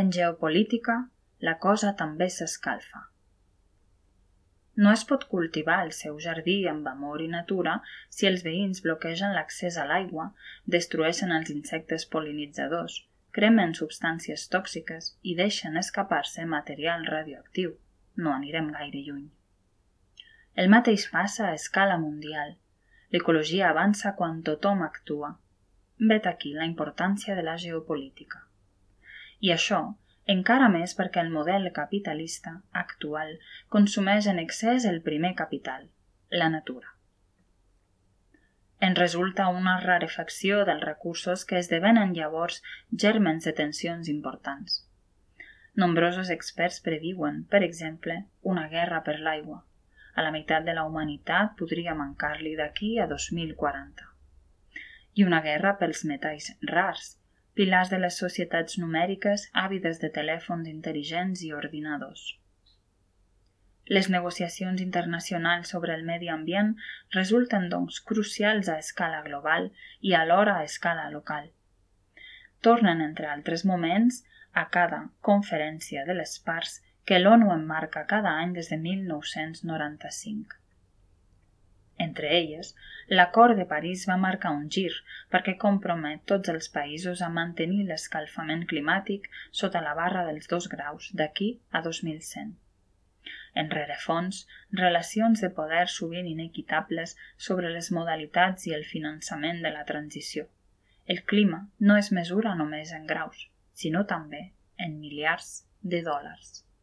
En geopolítica, la cosa també s'escalfa. No es pot cultivar el seu jardí amb amor i natura si els veïns bloquegen l'accés a l'aigua, destrueixen els insectes pol·linitzadors, cremen substàncies tòxiques i deixen escapar-se material radioactiu. No anirem gaire lluny. El mateix passa a escala mundial. L'ecologia avança quan tothom actua. Vet aquí la importància de la geopolítica. I això, encara més perquè el model capitalista actual consumeix en excés el primer capital, la natura. En resulta una rarefacció dels recursos que esdevenen llavors gèrmens de tensions importants. Nombrosos experts previuen, per exemple, una guerra per l'aigua. A la meitat de la humanitat podria mancar-li d'aquí a 2040. I una guerra pels metalls rars, pilars de les societats numèriques àvides de telèfons intel·ligents i ordinadors. Les negociacions internacionals sobre el medi ambient resulten, doncs, crucials a escala global i alhora a escala local. Tornen, entre altres moments, a cada conferència de les parts que l'ONU emmarca cada any des de 1995. Entre elles, l'Acord de París va marcar un gir perquè compromet tots els països a mantenir l'escalfament climàtic sota la barra dels 2 graus d'aquí a 2100. En rerefons, relacions de poder sovint inequitables sobre les modalitats i el finançament de la transició. El clima no es mesura només en graus, sinó també en miliards de dòlars.